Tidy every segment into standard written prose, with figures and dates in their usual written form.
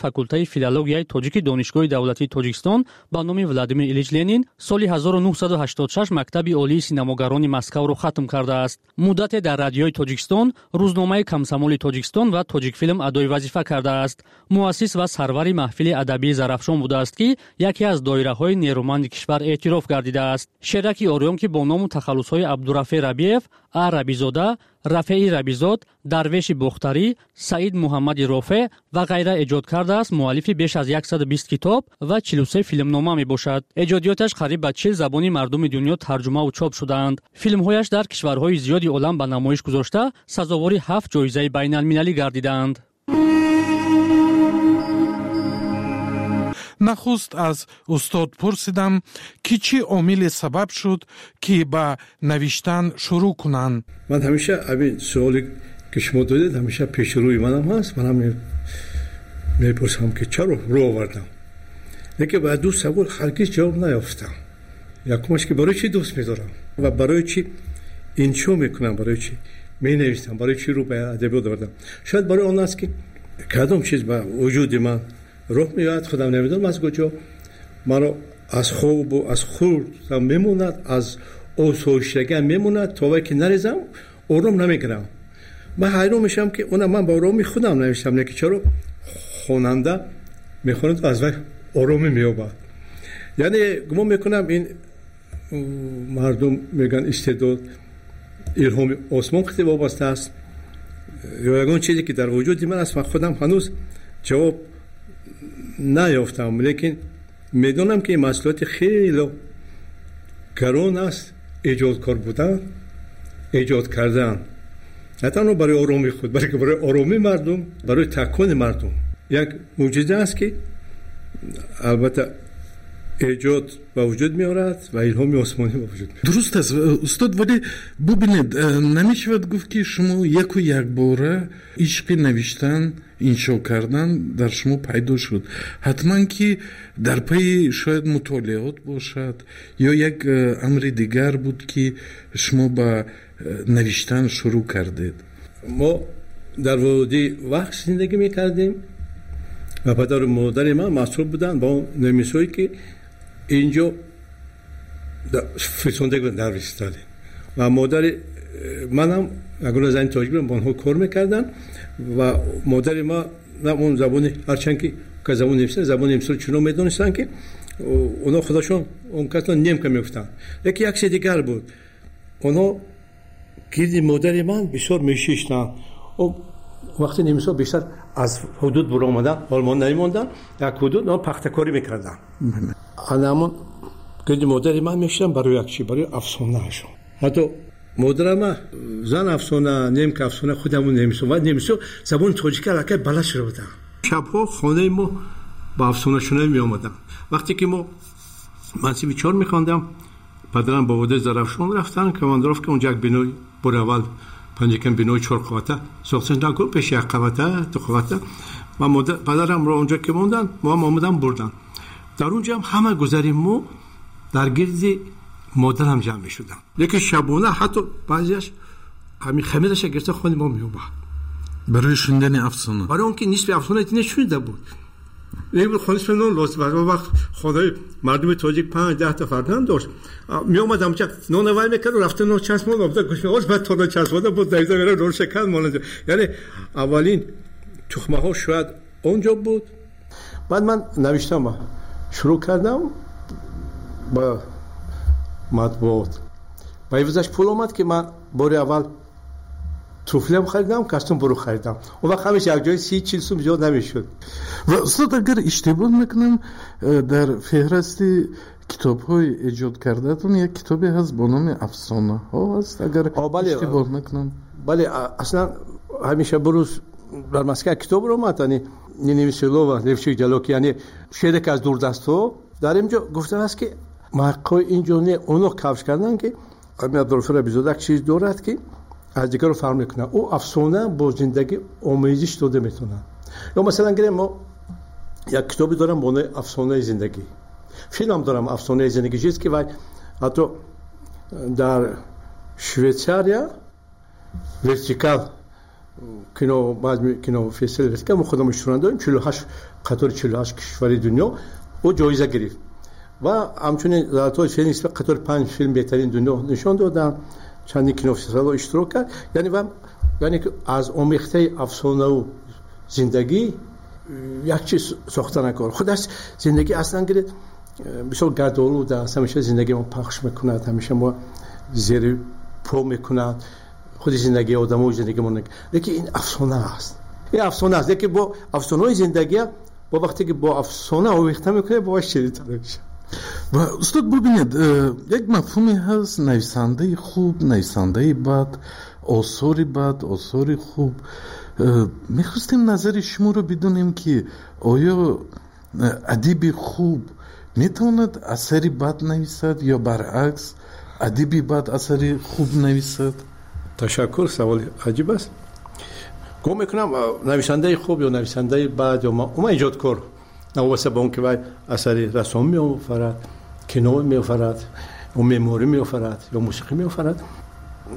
Факултаи филологияи тоҷики Донишгоҳи давлатии Тоҷикистон ба номи Владимир Ильич Ленин, соли 1986 Мактаби олии синамогарони Москавро хатм кардааст. Муддате дар Радиои Тоҷикистон, рӯзномаи Комсомоли Тоҷикистон ва Тоҷикфилм адои вазифа кардааст. Муассис ва сарвари маҳфили адабии Зарафшон будааст, ки яке аз доираҳои нерӯманди кишвар эътироф гардидааст. Шераки Ориён, ки бо ному тахаллусҳои Абдурафеъ Рабиев, А Рабизода, Рафеи Рабизод, Дарвеши Бохтарӣ, Саид Муҳаммади Рофеъ ва ғайра эҷод кардааст, муаллифи беш аз 120 китоб ва 43 филмнома мебошад. Эҷодиёташ қариб ба 40 забони мардуми дунё тарҷумаву чоп шудаанд. Филмҳояш дар кишварҳои зиёди олам ба намоиш гузошта, сазовори ҳафт ҷоизаи байналмилалӣ гардидаанд. Нахуст аз устод пурсидам, ки чӣ омиле сабаб шуд, ки ба навиштан шурӯъ кунанд. Ман ҳамеша ҳамин суоле, ки шумо додед, ҳамеша пеши рӯи манам ҳаст. Манам мепурсам, ки чаро рӯ овардам, лекин ба ду савол ҳаргиз ҷавоб наёфтам. Якумаш, ки барои чӣ дӯст медорам ва барои чӣ иншо мекунам, барои чӣ менависам, барои чӣ рӯ ба адабиёт овардам. Шояд барои он аст, ки кадом чиз ба вуҷуди ман роҳ меояд, худам намедонам аз куҷо, маро аз хобу аз хурдам мемонад, аз осоиштагиам мемонад, то вай ки нарезам, ором намегирам. Ман ҳайрон мешавам, ки она ман ба оромии худам навиштам, лекин чаро хонанда мехонад, аз вай оромӣ меёбад? Яъне гумон мекунам, ин мардум мегӯянд, истеъдод илҳоми осмон хеле вобаста аст ё ягон чизе, ки дар вуҷуди ман аст. Ман худам ҳанӯз ҷавоб наёфтам, лекин медонам, ки ин масъулияти хеле гарон аст, эҷодкор будан, эҷод кардан на танҳо барои оромии худ, балки барои оромии мардум, барои такони мардум. Як мӯъҷиза аст, ки албатта эҷод ба вуҷуд меорад ва илҳоми осмонӣ ба вуҷуд меорад. Дуруст аст, устод, вале бубинед, намешавад гуфт, ки шумо яку якбора ишқи навиштан, иншо кардан дар шумо пайдо шуд. Ҳатман ки дар пайи шояд мутолиот бошад ё як амри дигар буд, ки шумо ба навиштан шурӯъ кардед. Мо дар водии Вахш зиндагӣ мекардем ва падару модари ман масъул буданд ба он немисҳое, ки инҷо фирсонда буданд дар Сталин, ва модари манам ягона зани тоҷик будам, бо онҳо кор мекарданд. Ва модари ма он забони, ҳарчанд ки забони немисӣ, забони немисиро чунон медонистанд, ки онҳо худашон он касро немка мегуфтанд. Лекин як чизи дигар буд: онҳо гирди модари ман бисёр мешиштанд. Вақти немисҳо бештар аз ҳудуд буромаданд, Олмон намемонданд, як ҳудуд онҳо пахтакорӣ мекарданд. Ана ҳамон гирди модари ман мешиштанд барои як чи, барои афсонаашон. Ҳатто модарама зан афсона, немка афсона, худ ҳамон немисҳо, ва немисҳо забони тоҷика аллакай балад шуда буданд. Шабҳо хонаи мо ба афсонашунавӣ меомаданд. Вақте ки мо ман синфи чор мехондам, падарам ба водии Зарафшон рафтанд, Командировка, онҷа як бинои бори аввал панҷакан бинои чорқавата сохта, пеши як қавата, ду қавата, ва падарамро онҷо ки монданд, моам омадам, бурданд. Дар онҷо ҳам ҳама гузари мо дар гирди модарам ҷамъ мешуданд. Лекин шабона ҳатто баъзеаш ҳамин хамираша гирифта хони мо меомад. Барои шунидани афсона. Барои он ки нисфи афсона шунида буд. Хонаи нон лозим. Вақт хонаи мардуми тоҷик панҷ даҳта фарзанд дошт, меомад, ҳамча нона вай мекард, рафта нон часпон обда гӯш, баъд то нон часпонда буд, давида мера, нон шакар монад. Яъне аввалин тухмаҳо шояд он ҷо буд. Баъд ман навиштам, шурӯъ кардам ба матбуот. Ба ивазаш пул омад, ки ман бори аввал туфлиам харидам, костюм буру харидам. Он вақт ҳамеша як ҷои 30-40 сум зиёд намешуд. Ва устод, агар иштибоҳ накунам, дар феҳрасти китобҳои эҷод кардаатон як китобе ҳаст бо номи Афсонаҳо аст, агар иштибоҳ накунам. Бале, аслан ҳамеша бурӯз дар Москва китоб омад, яъне Ниневиселова Левчик Ҷалоки, яъне шере ки аз дурдастҳо. Дар инҷо гуфтааст, ки муҳаққиқҳои инҷо не, оно кавш карданд, ки ҳамин Абдурафеъ Рабизода як чиз дорад, ки аз дигарро фарқ мекунад: ӯ афсона бо зиндагӣ омезиш дода метавонад. Ё масалан гирем, мо як китобе дорам бо номи Афсонаи зиндагӣ, филмам дорам, Афсонаи зиндагӣ чиз, ки вай ҳатто дар Швейтсария вертикал Кино базми кино фестивал ки мо худамон иштирок дорем, 48 қатори 48 кишвари дунё ӯ ҷоиза гирифт ва ҳамчунин Золотой Феникс қатори 5 филм беҳтарин дунё нишон доданд, чандин кинофестивалҳо иштирок кард. Яъне ва яъне ки аз омехтаи афсонаву зиндагӣ як чиз сохта накор. Худаш зиндагӣ аслан гиред бисёр гардолуд аст, ҳамеша зиндагӣ мо пахш мекунад, ҳамеша мо зери по мекунад, худи зиндагии одамо зиндагии мо. Лекин ин афсона аст, ин афсона аст, лекин бо афсонаҳои зиндагия бо вақте ки бо афсона овехта мекунед, бо ширинтар мешавад. Ва устод, бубинед, як мафҳуме ҳаст: нависандаи хуб, нависандаи бад, осори бад, осори хуб. Мехостем назари шуморо бидонем, ки оё адиби хуб метавонад асари бад нависад ё баръакс, адиби бад асари хуб нависад? Ташаккур, саволи аҷиб аст. Гумон мекунам, нависандаи хуб ё нависандаи бад ё умуман эҷодкор, новобаста ба он ки вай асари рассом меофарад, кино меофарад, ё меъморӣ меофарад, ё мусиқӣ меофарад,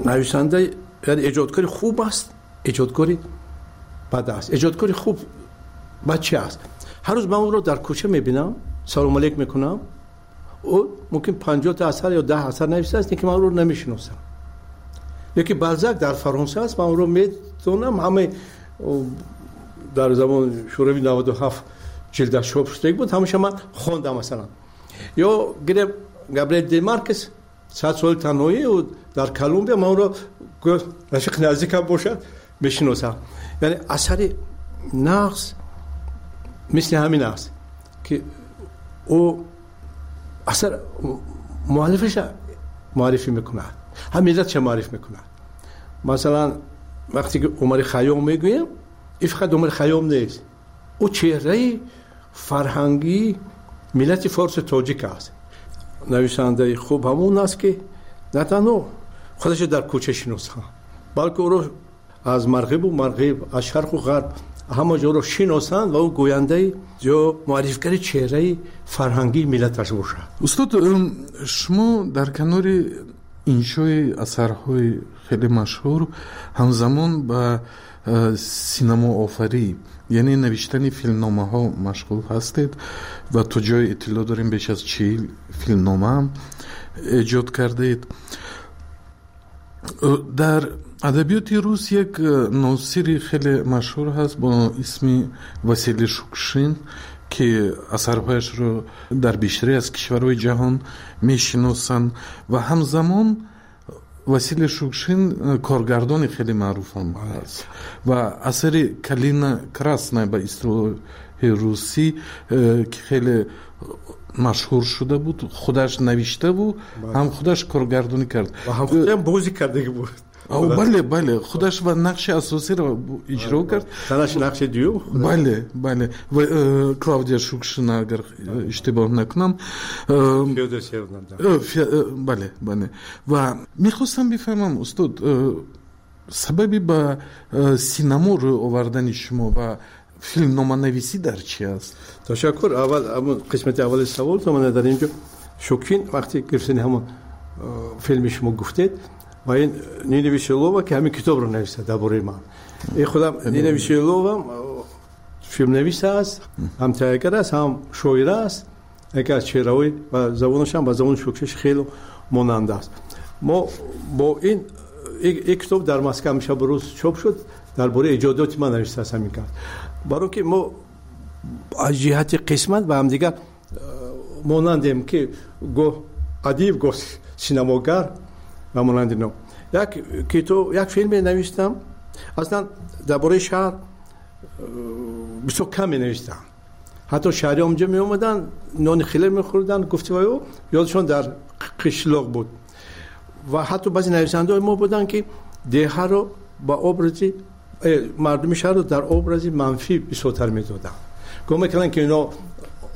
нависанда яъне эҷодкори хуб аст, эҷодкори бад аст. Эҷодкори хуб бад чи аст? Ҳар рӯз ман ӯро дар кӯча мебинам, салом алейк мекунам, ӯ мумкин 50 та асар ё 10 асар нависааст, лекин ман ӯро намешиносам. Ёки Балзак дар Фаронса аст, ман ӯро медонам, ҳамаи дар замони Шӯравӣ 97 ҷилдаш чоп шудагӣ буд, ҳамеша ман хондам масалан. Ё гирем Габриэл де Маркес, 100 соли танҳоӣ, ӯ дар Колумбия, ман ӯро рафиқи наздикам бошад, мешиносам. Яъне асари нағз мисли ҳамин аст, ки ӯ асар муаллифаша муаррифӣ мекунад, ҳам миллатша муарриф мекунад. Масалан, вақте ки Умари Хайём мегӯем, ин фақат Умари Хайём нест, ӯ чеҳраи фарҳангии миллати форсу тоҷик аст. Нависандаи хуб ҳамон аст, ки на танҳо худашро дар кӯча шиносанд, балки ӯро аз марғибу марғиб, аз шарқу ғарб ҳама ҷоро шиносанд ва ӯ гӯяндаи ё муаррифгари чеҳраи фарҳангии миллаташ бошад. Устод, шумо дар канори иншои асарҳои хеле машҳур ҳамзамон ба синамоофарӣ, яъне навиштани филмномаҳо машғул ҳастед ва то ҷое иттилоъ дорем, беш аз 40 филмнома эҷод кардаед. Дар адабиёти рус як носири хеле машҳур ҳаст бо исми Василий Шукшин, ки асарҳояшро дар бештаре аз кишварҳои ҷаҳон мешиносанд, ва ҳамзамон Василий Шукшин коргардони хеле маъруфам ҳаст ва асари «Калина красная» ба истилоҳи русӣ, ки хеле машҳур шуда буд, худаш навиштаву ҳам худаш коргардонӣ кард. Ва ҳам худам бозӣ кардагӣ буд. Бале, худаш ва нақши асосиро иҷро кард. Занаш нақши дуюм. Бале, ва Клавдия Шукшина, агар иштибоҳ накунам. Бале. Ва мехостам бифаҳмам, устод, сабаби ба синамо рӯ овардани шумо ва филмноманависӣ дар чи аст? Ташаккур. Аввал қисмати аввали саволто мана дар инҷо Шукшин вақте гирифтани ҳамон филми шумо гуфтед, ва ин Нина Веселова, ки ҳамин китобро нависта дар бораи ман, ин худам Нина Веселова филмнавис аст, ҳам таҳиягар аст, ҳам шоира аст, яке аз чеҳраҳои ва забонаш ҳам ба забони Шукшин хеле монанд аст. Мо бо ин китоб дар Москва ҳамеша ба рӯз чоп шуд, дар бораи эҷодиёти ман навиштааст ҳамин кас, баро ки мо аз ҷиҳати қисмат ба ҳамдигар монандем, ки гоҳ адиб, гоҳ синамогар ва монанди ино. Як китоб, як филме навиштам. Аслан дар бораи шаҳр бисёр кам менавиштам. Ҳатто шаҳриҳо онҷо меомаданд, нони хеле мехӯрданд, гуфти вай, ёдшон дар қишлоқ буд. Ва ҳатто баъзе нависандаҳои мо буданд, ки деҳаро ба образи мардуми шаҳрро дар образи манфӣ бисёртар медоданд, гумон мекарданд, ки ино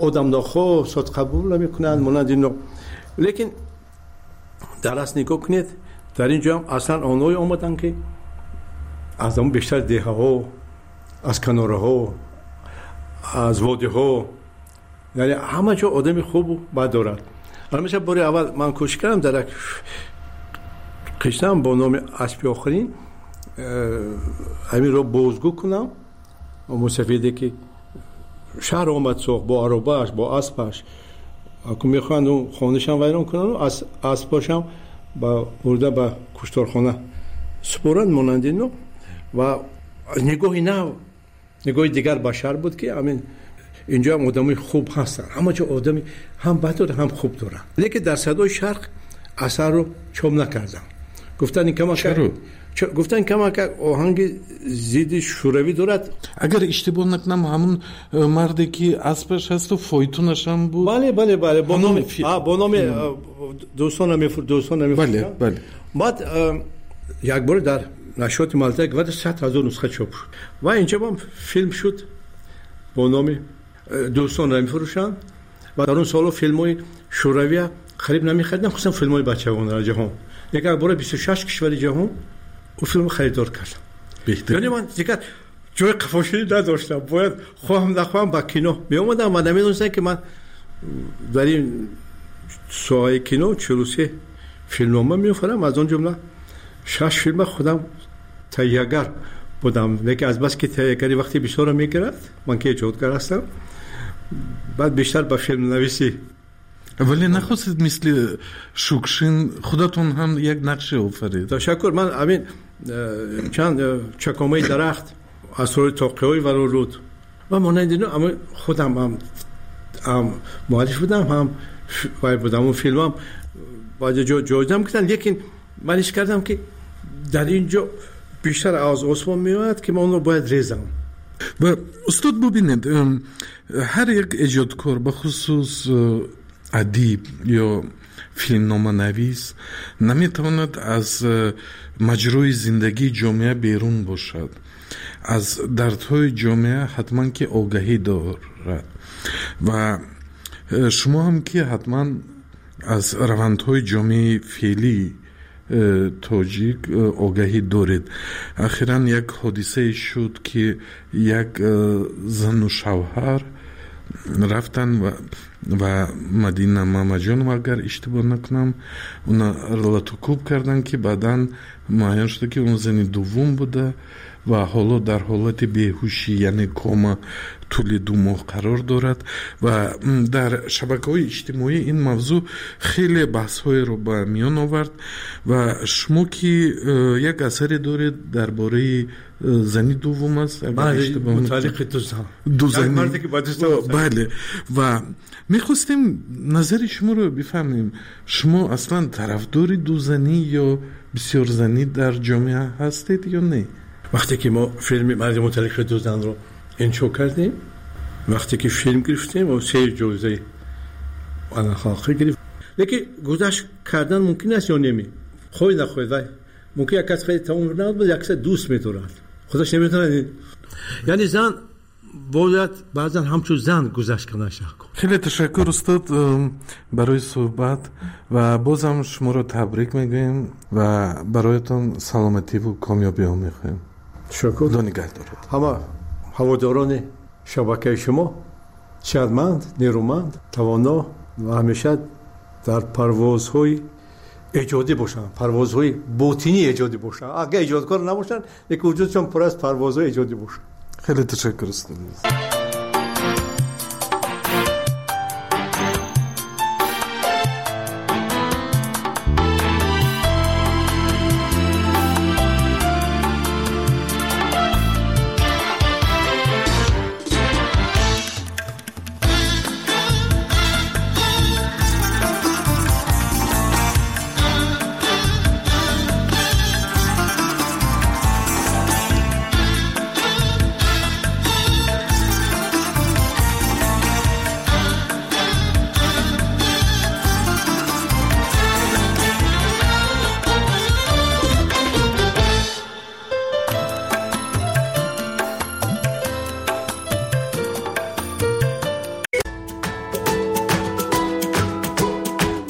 одамнохоҳ, содқабул намекунанд, монанди ино. Лекин дар асл нигоҳ кунед, дар ин ҷоам аслан онҳое омаданд, ки аз ҳамон бештар деҳаҳо, аз канораҳо, аз водиҳо. Яъне ҳама ҷо одами хубу бад дорад. Ҳамеша бори аввал ман кӯшиш кардам дар як қиссам бо номи «Аспи охирин» ҳаминро бозгӯ кунам. Мусафиде ки шаҳр омад сохт бо аробааш, бо аспаш, мехоҳанд хонашам вайрон кунанд, аспашам бурда ба кушторхона супоранд монанди ино. Ва нигоҳи нав, нигоҳи дигар ба шаҳр буд, ки ҳамин инҷо ҳам одамои хуб ҳастанд, ҳама ҷо одами ҳам бад доранд, ҳам хуб доранд. Лекин дар Садои Шарқ асарро чоп накардам. Гуфтан гуфтан камака оҳанги зидди шӯравӣ дорад. Агар иштибоҳ накунам, ҳамун марде ки аспаш ҳасту фойтунашам буд. Бале, бале, бале, бо номи бо номи дӯстон дӯстон бале, бале. Баъд як бор дар нашриёти Молодая гвардия 100 000 нусха чоп шуд ва инҷо ҳам филм шуд бо номи «Дӯстонро мефурӯшанд». Ва дар он солҳо филмҳои шӯравия қариб намехаридам, хусусан филмҳои бачагонро ҷаҳон. Як бора 26 кишвари ҷаҳон ӯ филмро харидор кардам. Яъне ман дигар ҷои қафоширӣ надоштам, бояд хоҳам нахоҳам ба кино меомадам ва намедонистам, ки ман дар ин соҳаи кино 43 филмнома меофарам, аз он ҷумла шаш филма худам таҳиягар будам. Лекин азбаски таҳиягарӣ вақти бисёрро мегирад, ман ки эҷодгар ҳастам, баъд бештар ба филмнависӣ. Вале нахостед мисли Шукшин худатон ҳам як нақше офаред? Ташаккур. Ман ҳамин чанд «Чакомаи дарахт», «Асрори тоқиҳои варолуд» ва монанди ино, ама худам ҳам муаллиф будам, ҳам вай будам. Он филмам баъзе ҷо ҷоизам карданд, лекин ман ҳис кардам, ки дар ин ҷо бештар аз осмон меояд, ки ман онро бояд резам. Ва устод, бубинед, ҳар як эҷодкор, бахусус адиб ё филмноманавис, наметавонад аз маҷрои зиндагии ҷомеа берун бошад. Аз дардҳои ҷомеа ҳатман ки огаҳӣ дорад. Ва шумо ҳам ки ҳатман аз равандҳои ҷомеаи феълии тоҷик огаҳӣ доред. Ахиран як ҳодисае шуд, ки як зану шавҳар рафтан ва Мадина Мамаҷонова, агар иштибоҳ накунам, уна латукӯб карданд, ки баъдан муайян шуда, ки он зани дуввум буда ва ҳоло дар ҳолати беҳушӣ, яъне кома, тӯли 2 моҳ қарор дорад. Ва дар шабакаҳои иҷтимоӣ ин мавзӯъ хеле баҳсҳоеро ба миён овард. Ва шумо ки як асаре доред, дар бораи зани дуввум аст. Бале, ва мехостем назари шуморо бифаҳмем: шумо аслан тарафдори дузанӣ ё бисёрзанӣ дар ҷомеа ҳастед ё не? Вақте ки мо филми «Марди муталлиқи ду занро» иншо кардем, вақте ки филм гирифтем, се ҷоизаи халқӣ гирифт. Лекин гузашт кардан мумкин аст ё неми, хоҳӣ нахоҳӣ, вай мумкин як кас хеле тамом набуд, як каса дӯст медорад, худаш наметавонад. Яъне зан бояд баъзан ҳамчун зан гузашт кардан. Хеле ташаккур, устод, барои суҳбат ва бозам шуморо табрик мегӯем ва бароятон саломативу комёбиҳо мехоҳем. Ташаккур. Худо нигаҳ дорад. Ҳама ҳаводорони шабакаи шумо сиҳатманд, нерӯманд, тавоно ва ҳамеша дар парвозҳои эҷодӣ бошанд, парвозҳои ботинии эҷодӣ бошанд. Агар эҷодкор набошанд, лекин вуҷудшон пур аз парвозҳои эҷодӣ бошанд. Хеле ташаккур, устод.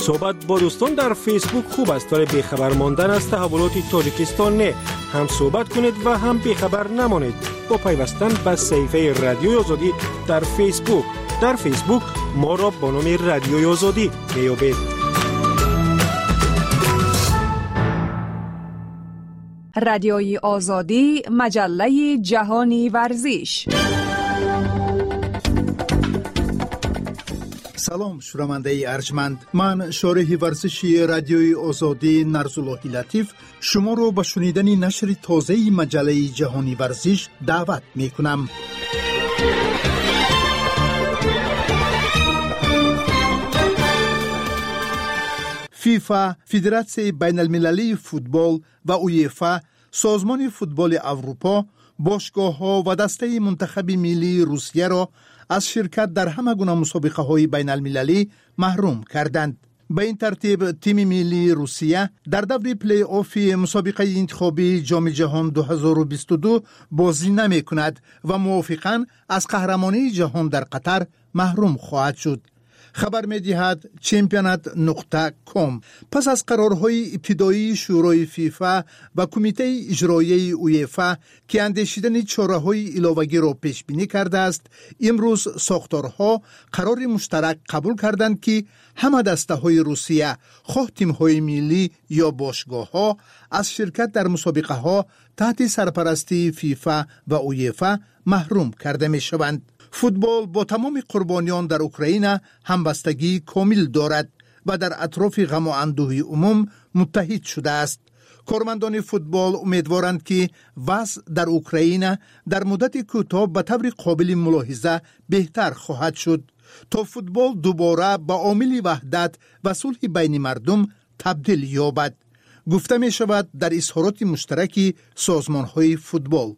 Суҳбат бо дӯстон дар Фейсбук хуб аст, вале бехабар мондан аз таҳаввулоти Тоҷикистон не. Ҳам суҳбат кунед ва ҳам бехабар намонед бо пайвастан ба саҳифаи Радиои Озодӣ дар Фейсбук. Дар Фейсбук моро бо номи Радиои Озодӣ меёбед. Радиои Озодӣ, маҷаллаи ҷаҳони варзиш. Салом, шунавандаи арҷманд. Ман, шореҳи варзиши Радиои Озодӣ Нарзуллоҳи Латиф, шуморо ба шунидани нашри тозаи маҷаллаи ҷаҳони варзиш даъват мекунам. ФИФА, Федератсияи байналмилалии футбол, ва УЕФА, Созмони футболи Аврупо, бошгоҳҳо ва дастаи мунтахаби миллии Русияро аз ширкат дар ҳама гуна мусобиқаҳои байналмилалӣ маҳрум карданд. Ба ин тартиб, тими миллии Русия дар даври плей-оффи мусобиқаи интихобии Ҷоми ҷаҳон 2022 бозӣ намекунад ва мувофиқан аз қаҳрамонии ҷаҳон дар Қатар маҳрум хоҳад шуд, хабар медиҳад Чемпионат нуқта ком. Пас аз қарорҳои ибтидоии Шӯрои ФИФА ва Кумитаи иҷроияи УЕФА, ки андешидани чораҳои иловагиро пешбинӣ кардааст, имрӯз сохторҳо қарори муштарак қабул карданд, ки ҳама дастаҳои Русия, хоҳ тимҳои миллӣ ё бошгоҳҳо, аз ширкат дар мусобиқаҳо таҳти сарпарастии ФИФА ва УЕФА маҳрум карда мешаванд. Футбол бо тамоми қурбониён дар Украина ҳамбастагии комил дорад ва дар атрофи ғаму андӯҳи умум муттаҳид шудааст. Кормандони футбол умедворанд, ки вазъ дар Украина дар муддати кӯтоҳ ба таври қобили мулоҳиза беҳтар хоҳад шуд, то футбол дубора ба омили ваҳдат ва сулҳи байни мардум табдил ёбад, гуфта мешавад дар изҳороти муштараки созмонҳои футбол.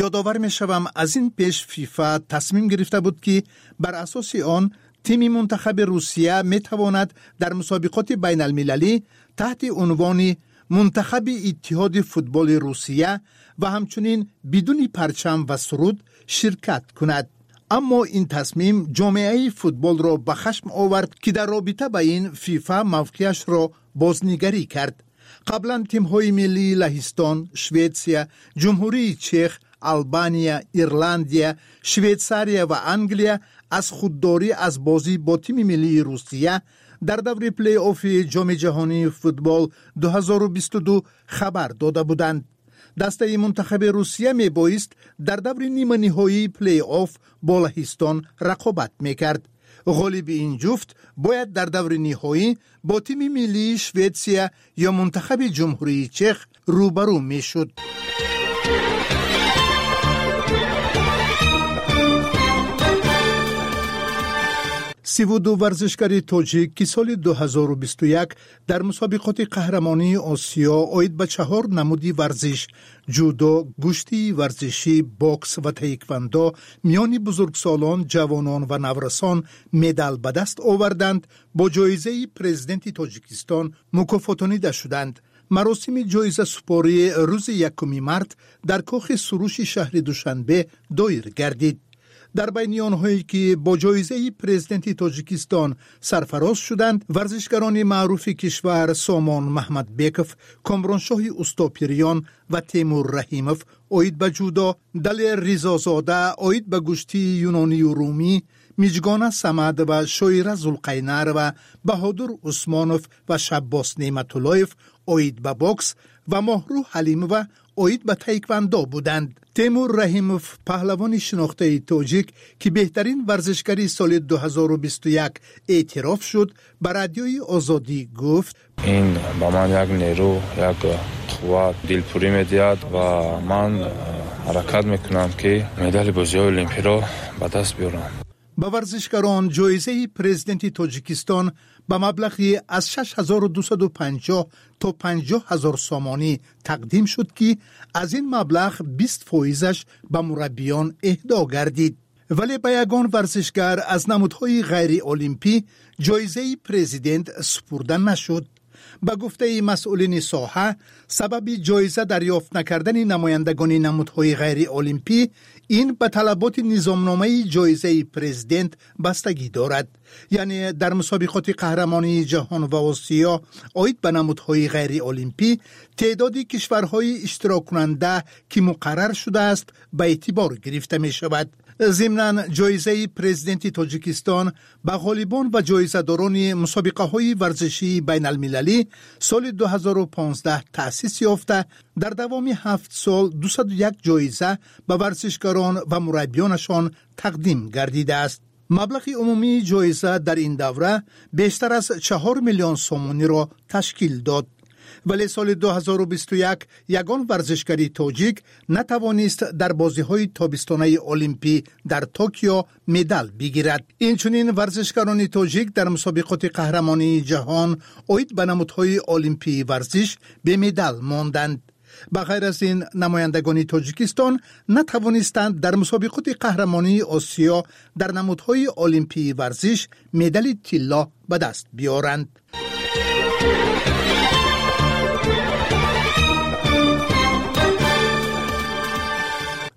Ёдовар мешавам, аз ин пеш ФИФА тасмим гирифта буд, ки бар асоси он тими мунтахаби Русия метавонад дар мусобиқоти байналмилалӣ таҳти унвони Мунтахаби Иттиҳоди футболи Русия ва ҳамчунин бидуни парчам ва суруд ширкат кунад. Аммо ин тасмим ҷомеаи футболро ба хашм овард, ки дар робита ба ин ФИФА мавқеашро бознигарӣ кард. Қаблан тимҳои миллии Лаҳистон, Шветсия, Ҷумҳурии Чех, Албания, Ирландия, Швейтсария ва Англия аз худдорӣ аз бозӣ бо тими миллии Русия дар даври плей-оффи Ҷоми ҷаҳонии футбол 2022 хабар дода буданд. Дастаи мунтахаби Русия мебоист дар даври ниманиҳоии плей-офф бо Лаҳистон рақобат мекард. Ғолиби ин ҷуфт бояд дар даври ниҳоӣ бо тими миллии Шветсия ё мунтахаби Ҷумҳурии Чех рӯбарӯ мешуд. 32 варзишгари тоҷик, ки соли 2021 дар мусобиқоти қаҳрамонии Осиё оид ба чаҳор намуди варзиш: ҷудо, гӯштии варзишӣ, бокс ва таеквандо миёни бузургсолон, ҷавонон ва наврасон медал ба даст оварданд, бо ҷоизаи Президенти Тоҷикистон мукофотонида шуданд. Маросими ҷоизасупорӣ рӯзи 1 март дар кохи Суруши шаҳри Душанбе доир гардид. Дар байни онҳое, ки бо ҷоизаи Президенти Тоҷикистон сарфароз шуданд, варзишгарони маъруфи кишвар Сомон Маҳмадбеков, Комроншоҳи Устопириён ва Темур Раҳимов оид ба ҷудо, Далер Ризозода оид ба гӯштии юнонию румӣ, Миҷгона Самадова, Шоира Зулқайнарова, Баҳодур Усмонов ва Шаббос Неъматуллоев оид ба бокс ва Моҳрӯ Ҳалимова оид ба таеквандо буданд. Темур Раҳимов, паҳлавони шинохтаи тоҷик, ки беҳтарин варзишгари соли 2021 эътироф шуд, ба Радиои Озодӣ гуфт: Ин ба ман як нерӯ, як қувват, дилпурӣ медиҳад ва ман ҳаракат мекунам, ки медали бозиҳои олимпиро ба даст биёрам. Ба варзишгарон ҷоизаи Президенти Тоҷикистон ба маблағи аз 6250 то 50 ҳазор сомонӣ тақдим шуд, ки аз ин маблағ 20 фоизаш ба мураббиён эҳдо гардид. Вале ба ягон варзишгар аз намудҳои ғайриолимпӣ ҷоизаи президент супурда нашуд. Ба гуфтаи масъулини соҳа, сабаби ҷоиза дарёфт накардани намояндагони намудҳои ғайриолимпӣ ин ба талаботи низомномаи ҷоизаи президент бастагӣ дорад. Яъне дар мусобиқоти қаҳрамонии ҷаҳон ва Осиё оид ба намудҳои ғайриолимпӣ теъдоди кишварҳои иштироккунанда, ки муқаррар шудааст, ба эътибор гирифта мешавад. Зимнан, ҷоизаи президенти Тоҷикистон ба ғолибон ва ҷоизадорони мусобиқаҳои варзишии байналмилалӣ соли 2015 таъсис ёфта, дар давоми 7 сол 201 ҷоиза ба варзишгарон ва мураббиёнашон тақдим гардидааст. Маблағи умумии ҷоиза дар ин давра бештар аз 4 миллион сомониро ташкил дод. Вале соли 2021 ягон варзишгари тоҷик натавонист дар бозиҳои тобистонаи олимпӣ дар Токио медал бигирад. Инчунин варзишгарони тоҷик дар мусобиқоти қаҳрамонии ҷаҳон оид ба намудҳои олимпии варзиш бемедал монданд. Ба ғайр аз ин, намояндагони Тоҷикистон натавонистанд дар мусобиқоти қаҳрамонии Осиё дар намудҳои олимпии варзиш медали тилло ба даст биёранд.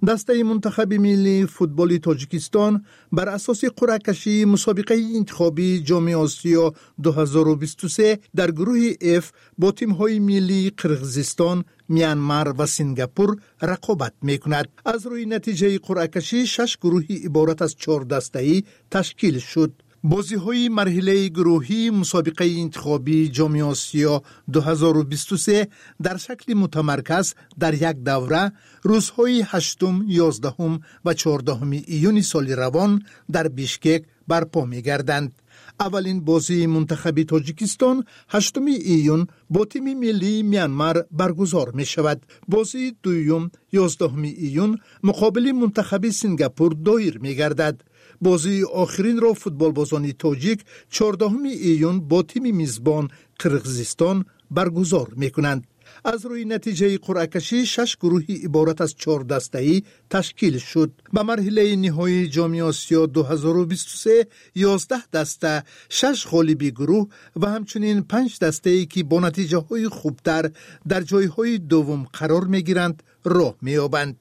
Дастаи мунтахаби миллии футболи Тоҷикистон бар асоси қуръакашии мусобиқаи интихобии Ҷоми Осиё 2023 дар гурӯҳи Ф бо тимҳои миллии Қирғизистон, Мянмар ва Сингапур рақобат мекунад. Аз рӯи натиҷаи қуръакашӣ шаш гурӯҳи иборат аз чор дастаӣ ташкил шуд. Бозиҳои марҳилаи гурӯҳии мусобиқаи интихобии Ҷоми Осиё 2023 дар шакли мутамарказ дар як давра рӯзҳои 8, 11 ва 14 июни соли равон дар Бишкек барпо мегарданд. Аввалин бозии мунтахаби Тоҷикистон 8 июн бо тими миллии Мянмар баргузор мешавад. Бозии дуюм 11 июн муқобили мунтахаби Сингапур доир мегардад. Бозии охиринро футболбозони тоҷик 14 июн бо тими мизбон Қирғизистон баргузор мекунанд. Аз рӯи натиҷаи қуръакашӣ шаш гурӯҳи иборат аз чор дастаӣ ташкил шуд. Ба марҳилаи ниҳоии Ҷоми Осиё 2023 11 даста, шаш ғолиби гурӯҳ ва ҳамчунин панҷ дастае, ки бо натиҷаҳои хубтар дар ҷойҳои дуввум қарор мегиранд, роҳ меёбанд.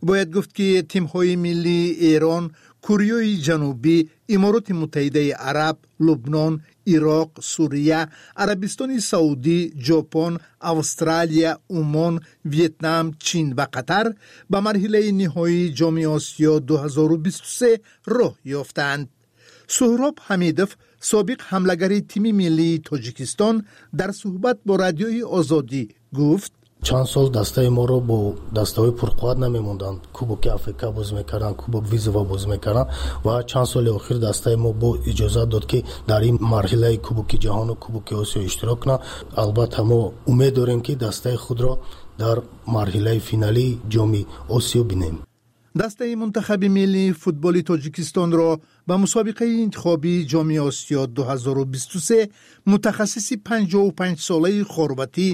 Бояд гуфт, ки тимҳои миллии Эрон, Кӯреяи Ҷанубӣ, Имороти Муттаҳидаи Араб, Лубнон, Ироқ, Сурия, Арабистони Саудӣ, Ҷопон, Австралия, Умон, Вьетнам, Чин ва Қатар ба марҳилаи ниҳоии Ҷоми Осиё 2023 роҳ ёфтаанд. Суҳроб Ҳамидов, собиқ ҳамлагари тими миллии Тоҷикистон, дар суҳбат бо Радиои Озодӣ гуфт: Чанд сол дастаи моро бо дастаҳои пурқувват намемонданд, Кубоки Африка бозӣ мекарданд, Кубок Вызова бозӣ мекарданд ва чанд соли охир дастаи мо бо иҷозат дод, ки дар ин марҳилаи Кубоки ҷаҳону Кубоки Осиё иштирок кунанд. Албатта, мо умед дорем, ки дастаи худро дар марҳилаи финалии Ҷоми Осиё бинем. Дастаи мунтахаби миллии футболи Тоҷикистонро ба мусобиқаи интихобии Ҷоми Осиё 2023 мутахассиси 55-солаи хорватӣ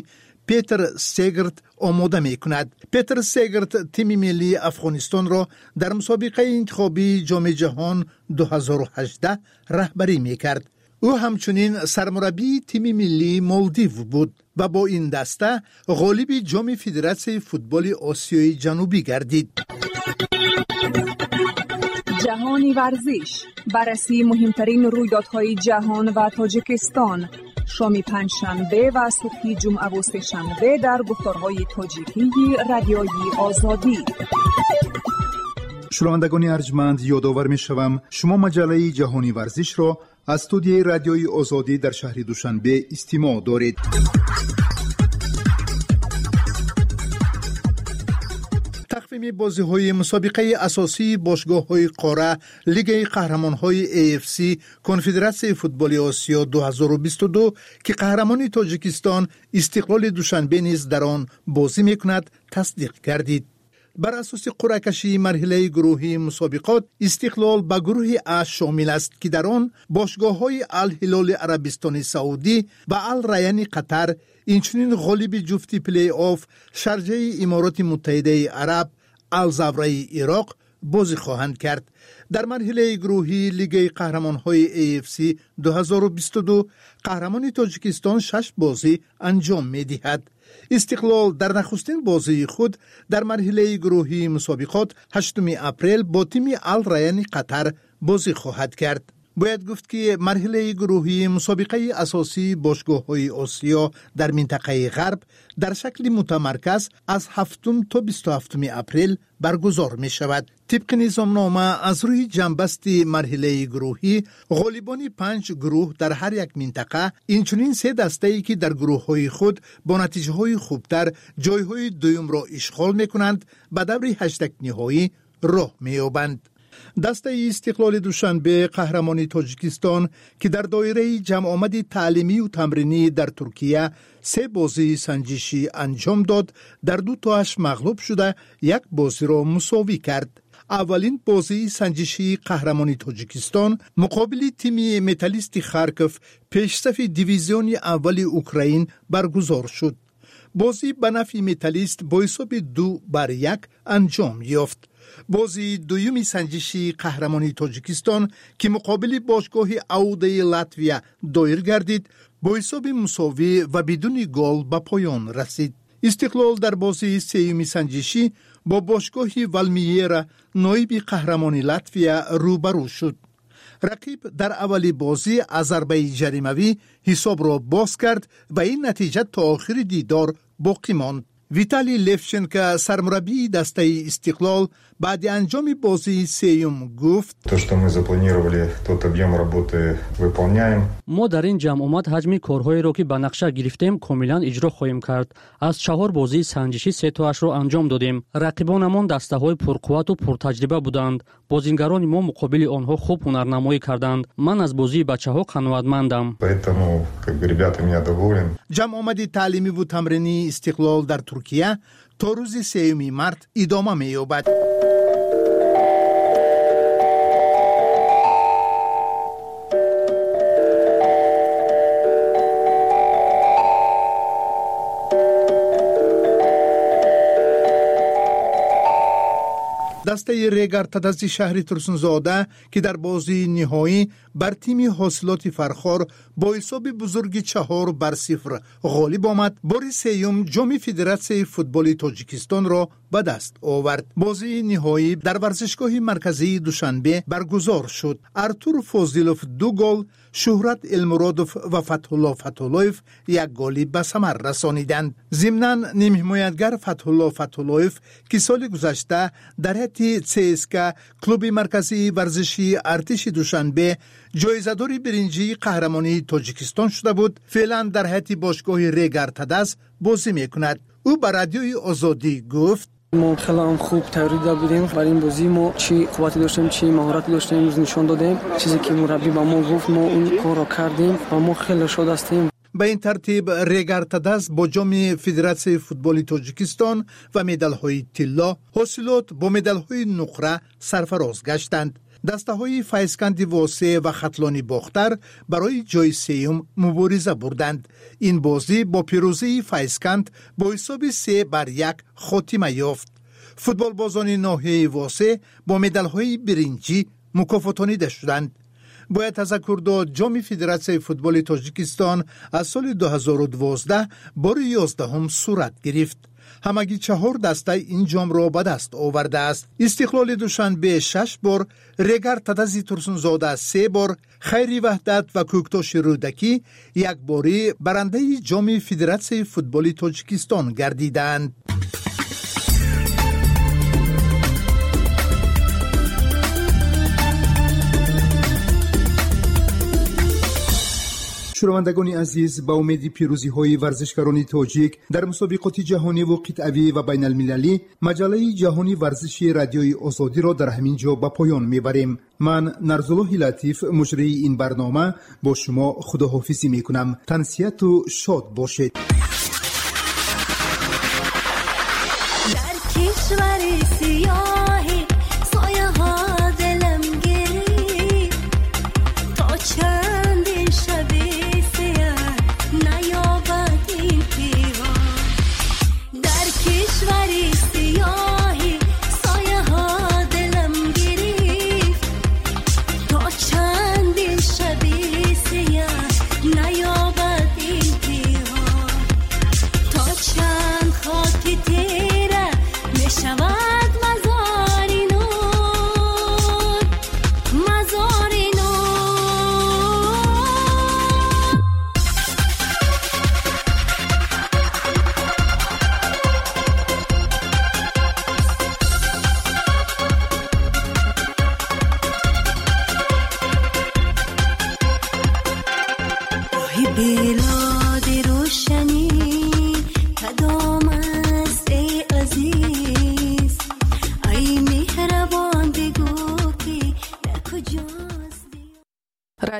Петр Сегрт омода мекунад. Петр Сегрт тими миллии Афғонистонро дар мусобиқаи интихобии Ҷоми ҷаҳон 2018 раҳбарӣ мекард. Ӯ ҳамчунин сармураббии тими миллии Молдив буд ва бо ин даста ғолиби Ҷоми Федератсияи футболи Осиёи Ҷанубӣ гардид. Ҷаҳони варзиш, баррасии муҳимтарин рӯйдодҳои ҷаҳон ва Тоҷикистон, шоми панҷшанбе ва субҳи ҷумъаву сешанбе дар гуфторҳои тоҷикии Радиои Озодӣ. Шунавандагони арҷманд, ёдовар мешавам, шумо маҷаллаи Ҷаҳони варзишро аз студияи Радиои Озодӣ дар шаҳри Душанбе истимоъ доред. Тақвими бозиҳои мусобиқаи асосии бошгоҳҳои қора, Лигаи қаҳрамонҳои AFC, Конфедератсияи футболи Осиё 2022, ки қаҳрамони Тоҷикистон Истиқлоли Душанбе низ дар он бозӣ мекунад, тасдиқ гардид. Бар асоси қуръакашии марҳилаи гурӯҳии мусобиқот Истиқлол ба гурӯҳи А шомил аст, ки дар он бошгоҳҳои Алҳилоли Арабистони Саудӣ ва Ал-Раяни Қатар, инчунин ғолиби ҷуфти плей-офф Шарҷаи Имороти Муттаҳидаи Араб, Алзавраи Ироқ бозӣ хоҳанд кард. Дар марҳилаи гурӯҳии Лигаи қаҳрамонҳои AFC 2022 қаҳрамони Тоҷикистон шаш бозӣ анҷом медиҳад. Истиқлол дар нахустин бозии худ дар марҳилаи гурӯҳии мусобиқот 8 апрел бо тими Ал Раяни Қатар бозӣ хоҳад кард. Бояд гуфт, ки марҳилаи гурӯҳии мусобиқаи асосии бошгоҳҳои Осиё дар минтақаи Ғарб дар шакли мутамарказ аз 7 то 27 апрел баргузор мешавад. Тибқи низомнома, аз рӯи ҷамъбасти марҳилаи гурӯҳӣ, ғолибони панҷ гурӯҳ дар ҳар як минтақа, инчунин се дастае, ки дар гурӯҳҳои худ бо натиҷаҳои хубтар ҷойҳои дуюмро ишғол мекунанд, ба даври ҳаштакниҳоӣ роҳ меёбанд. Дастаи Истиқлоли Душанбе, қаҳрамони Тоҷикистон, ки дар доираи ҷамъомади таълимию тамринӣ дар Туркия се бозии санҷишӣ анҷом дод, дар ду тоаш мағлуб шуда, як бозиро мусовӣ кард. Аввалин бозии санҷишии қаҳрамони Тоҷикистон муқобили тими Металлисти Харков, пешсафи дивизиони аввали Украин, баргузор шуд. Бозӣ ба нафъи Металлист бо ҳисоби 2-1 анҷом ёфт. Бозии дуюми санҷишии қаҳрамони Тоҷикистон, ки муқобили бошгоҳи Аудаи Латвия доир гардид, бо ҳисоби мусовӣ ва бидуни гол ба поён расид. Истиқлол дар бозии сеюми санҷишӣ бо бошгоҳи Валмиера, ноиби қаҳрамони Латвия, рӯбарӯ шуд. Рақиб дар аввали бозӣ аз зарбаи ҷаримавӣ ҳисобро боз кард ва ин натиҷа то охири дидор боқӣ монд. Виталий Левченко, сармураббии дастаи Истиқлол, баъди анҷоми бозии сеюм гуфт: То, что мы запланировали, тот объем работы выполняем. Мо дар ин ҷамъомад ҳаҷми корҳоеро, ки ба нақша гирифтем, комилан иҷро хоҳем кард. Аз чаҳор бозии санҷишӣ сетоашро анҷом додем. Рақибонамон дастаҳои пурқуввату пуртаҷриба буданд. Бозингарони мо муқобили онҳо хуб ҳунарнамоӣ карданд. Ман аз бозии бачаҳо қаноатмандам. Поэтому, как бы, ребятами я доволен. Ҷамъомади таълимиву тамринии Истиқлол дар Туркия то рӯзи 3 март идома меёбад. Дастаи Регар Тадази шаҳри Турсунзода, ки дар бозии ниҳоӣ бар тими Ҳосилоти Фархор бо ҳисоби бузурги 4-0 ғолиб омад, бори сеюм ҷоми Федератсияи футболи Тоҷикистонро ба даст овард. Бозии ниҳоӣ дар варзишгоҳи марказии Душанбе баргузор шуд. Артур Фозилов ду гол, Шӯҳрат Элмуродов ва Фатҳулло Фатҳуллоев як голи ба самар расониданд. Зимнан, нимҳимоятгар Фатҳулло Фатҳуллоев, ки соли гузашта дар ҳайати ЦСК, клуби марказии варзишии артиши Душанбе, ҷоизадори биринҷии қаҳрамонии Тоҷикистон шуда буд, феълан дар ҳайати бошгоҳи Регар Тадаз бозӣ мекунад. Ӯ ба Радиои Озодӣ гуфт: Мо хеле ҳам хуб тайёрӣ дида будем бар ин бозӣ. Мо чӣ қуввате доштем, чӣ маҳорате доштем, имрӯз нишон додем. Чизе ки мураббӣ ба мо гуфт, мо он корро кардем ва мо хеле шод ҳастем. Ба ин тартиб, Регар Тадаз бо ҷоми Федератсияи футболи Тоҷикистон ва медалҳои тилло, Ҳосилот бо медалҳои нуқра сарфароз гаштанд. Дастаҳои Файзканди Восе ва Хатлони Бохтар барои ҷои сеюм мубориза бурданд. Ин бозӣ бо пирӯзии Файзканд бо ҳисоби 3-1 хотима ёфт. Футболбозони ноҳияи Восе бо медалҳои биринҷӣ мукофотонида шуданд. Бояд тазаккур дод, ҷоми Федератсияи футболи Тоҷикистон аз соли 2012 бори 11-ум сурат гирифт. Ҳамагӣ чаҳор даста ин ҷомро ба даст овардааст: Истиқлоли Душанбе шаш бор, Регар Тадази Турсунзода се бор, Хайри Ваҳдат ва Кӯктоши Рӯдакӣ якборӣ барандаи ҷоми Федератсияи футболи Тоҷикистон гардидаанд. Шунавандагони азиз, ба умеди пирӯзиҳои варзишгарони тоҷик дар мусобиқоти ҷаҳониву қитъавӣ ва байналмилалӣ, маҷаллаи ҷаҳони варзиши Радиои Озодиро дар ҳамин ҷо ба поён мебарем. Ман, Нарзуллоҳи Латиф, муҷрии ин барнома, бо шумо худоҳофизӣ мекунам. Тансиҳату шод бошед. Дар кишвари сиёҳӣ сояҳо дилам гирифт, то чандин шаби сиёҳ наёбад интиҳо. Дар кишвари сиёҳӣ сояҳо дилам гирифт, то чандин шаби сиёҳ наёбад интиҳо. То чанд хоки тира мешавад мазори нур, мазори нур. Бе.